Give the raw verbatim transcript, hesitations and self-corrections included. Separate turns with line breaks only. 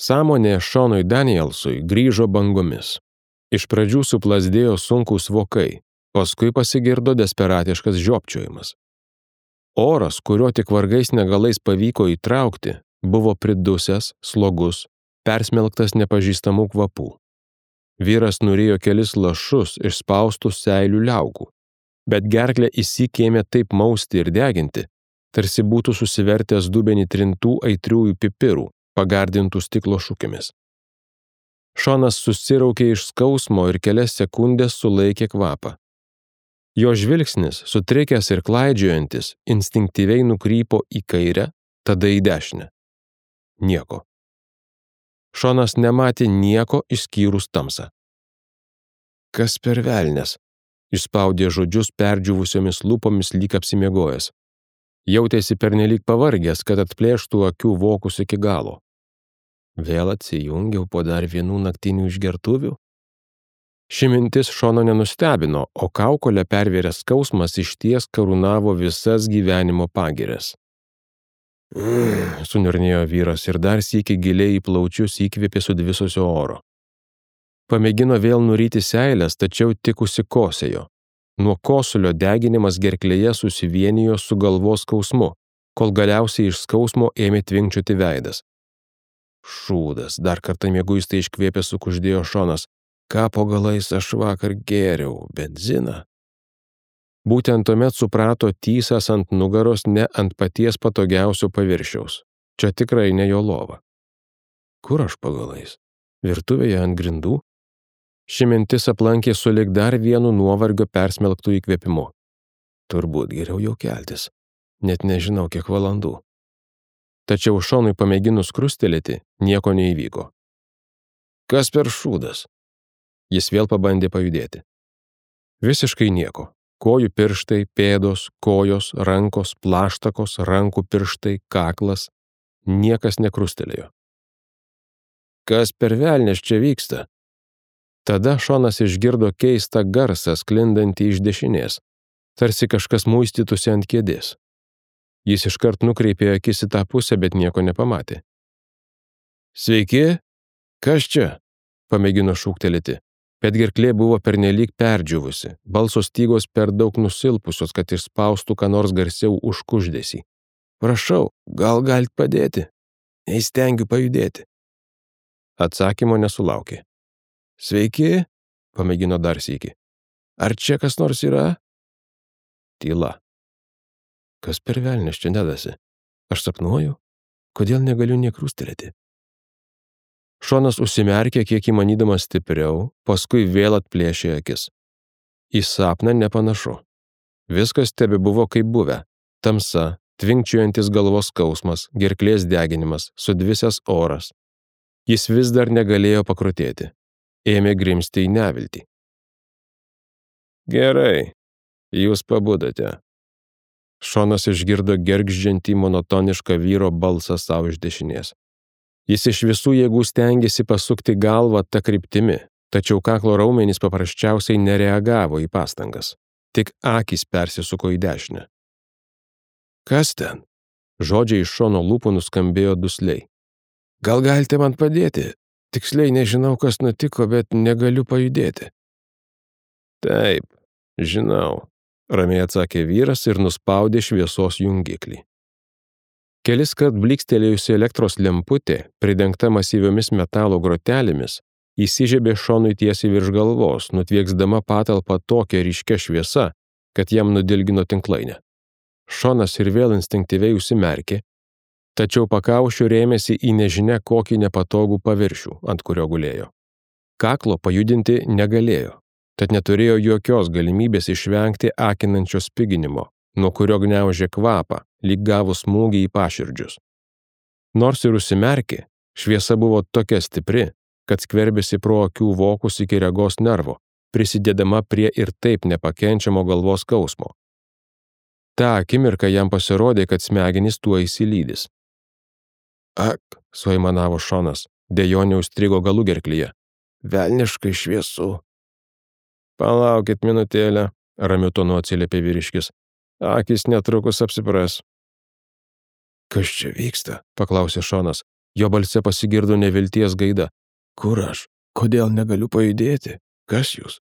Sąmonė Šonui Danielsui grįžo bangomis. Iš pradžių suplasdėjo sunkūs vokai, paskui pasigirdo desperatiškas žiopčiojimas. Oras, kurio tik vargais negalais pavyko įtraukti, buvo pridusęs, slogus, persmelktas nepažįstamų kvapų. Vyras nurijo kelis lašus išspaustų seilių liaukų, bet gerklę įsikėmė taip mausti ir deginti, tarsi būtų susivertęs dubenį trintų aitriųjų pipirų, pagardintų stiklo šukėmis. Šonas susiraukė iš skausmo ir kelias sekundės sulaikė kvapą. Jo žvilgsnis, sutrikęs ir klaidžiojantis, instinktyviai nukrypo į kairę, tada į dešinę. Nieko. Šonas nematė nieko išskyrus tamsą. Kas per velnias? Išspaudė žodžius perdžiūvusiomis lūpomis lyg apsimiegojęs. Jautėsi pernelyg pavargęs, kad atplėštų akių vokus iki galo. Vėl atsijungiau po dar vienų naktinių išgertuvių? Ši mintis Šono nenustebino, o kaukolę pervėręs skausmas išties karūnavo visas gyvenimo pagirias. Mm, suniurnėjo vyras ir dar sykį giliai į plaučius įkvėpė sudvisusio oro. Pamėgino vėl nuryti seilės, tačiau tik užsikosėjo. Nuo kosulio deginimas gerklėje susivienijo su galvos skausmu, kol galiausiai iš skausmo ėmė tvinkčioti veidas. Šūdas, dar kartą mieguistai iškvėpė sukuždėjo Šonas. Ką po galais aš vakar gėriau, benziną? Būtent tuomet suprato tysas ant nugaros ne ant paties patogiausio paviršiaus. Čia tikrai ne jo lova. Kur aš po galais? Virtuvėje ant grindų? Ši mintis aplankė sulig dar vienu nuovargio persmelktų įkvėpimu. Turbūt geriau jau keltis. Net nežinau, kiek valandų. Tačiau Šonui pamėginus krustelėti, nieko neįvyko. Kas per šūdas? Jis vėl pabandė pajudėti. Visiškai nieko. Kojų pirštai, pėdos, kojos, rankos, plaštakos, rankų pirštai, kaklas. Niekas nekrustelėjo. Kas per velnias čia vyksta? Tada Šonas išgirdo keistą garsą sklindantį iš dešinės, tarsi kažkas muistytųsi ant kėdės. Jis iškart nukreipė akis į tą pusę, bet nieko nepamatė. Sveiki? Kas čia? Pamėgino šūktelėti, bet gerklė buvo pernelyg perdžiūvusi, balso stygos per daug nusilpusios, kad išspaustų ką nors garsiau už kuždesį. Prašau, gal galit padėti? Neįstengiu pajudėti. Atsakymo nesulaukė. Sveiki? Pamėgino dar sykį. Ar čia kas nors yra? Tyla. Kas per velnias čia dedasi? Aš sapnuoju? Kodėl negaliu nekrustelėti? Šonas užsimerkė kiek įmanydamas stipriau, paskui vėl atplėšė akis. Į sapną nepanašu. Viskas tebebuvo kaip buvę. Tamsa, tvinkčiojantis galvos skausmas, gerklės deginimas, sudvisęs oras. Jis vis dar negalėjo pakrutėti. Ėmė grimzti į neviltį. Gerai, jūs pabudote. Šonas išgirdo gergždžiantį monotonišką vyro balsą savo iš dešinės. Jis iš visų jėgų stengėsi pasukti galvą tą kryptimi, tačiau kaklo raumenys paprasčiausiai nereagavo į pastangas. Tik akys persisuko į dešinę. Kas ten? Žodžiai iš Šono lūpų nuskambėjo dusliai. Gal galite man padėti? Tiksliai nežinau, kas nutiko, bet negaliu pajudėti. Taip, žinau, ramiai atsakė vyras ir nuspaudė šviesos jungiklį. Keliskart blykstelėjusi elektros lemputė, pridengta masyviomis metalo grotelėmis, įsižiebė Šonui tiesiai virš galvos, nutvieksdama patalpą tokią ryškia šviesa, kad jam nudilgino tinklainę. Šonas ir vėl instinktyviai užsimerkė, tačiau pakaušiu rėmėsi į nežinia kokį nepatogų paviršių, ant kurio gulėjo. Kaklo pajudinti negalėjo, tad neturėjo jokios galimybės išvengti akinančio spiginimo, nuo kurio gniaužė kvapą, lyg gavus smūgį į paširdžius. Nors ir užsimerkė, šviesa buvo tokia stipri, kad skverbėsi pro akių vokus iki regos nervo, prisidėdama prie ir taip nepakenčiamo galvos skausmo. Ta akimirka jam pasirodė, kad smegenys tuo įsilydys. Ak, suaimanavo Šonas, dejonė užstrigo galų gerklyje. Velniškai šviesu. Palaukit minutėlę, ramiu tonu atsiliepė vyriškis. Akys netrukus apsipras. Kas čia vyksta? Paklausė Šonas. Jo balse pasigirdo nevilties gaida. Kur aš? Kodėl negaliu pajudėti? Kas jūs?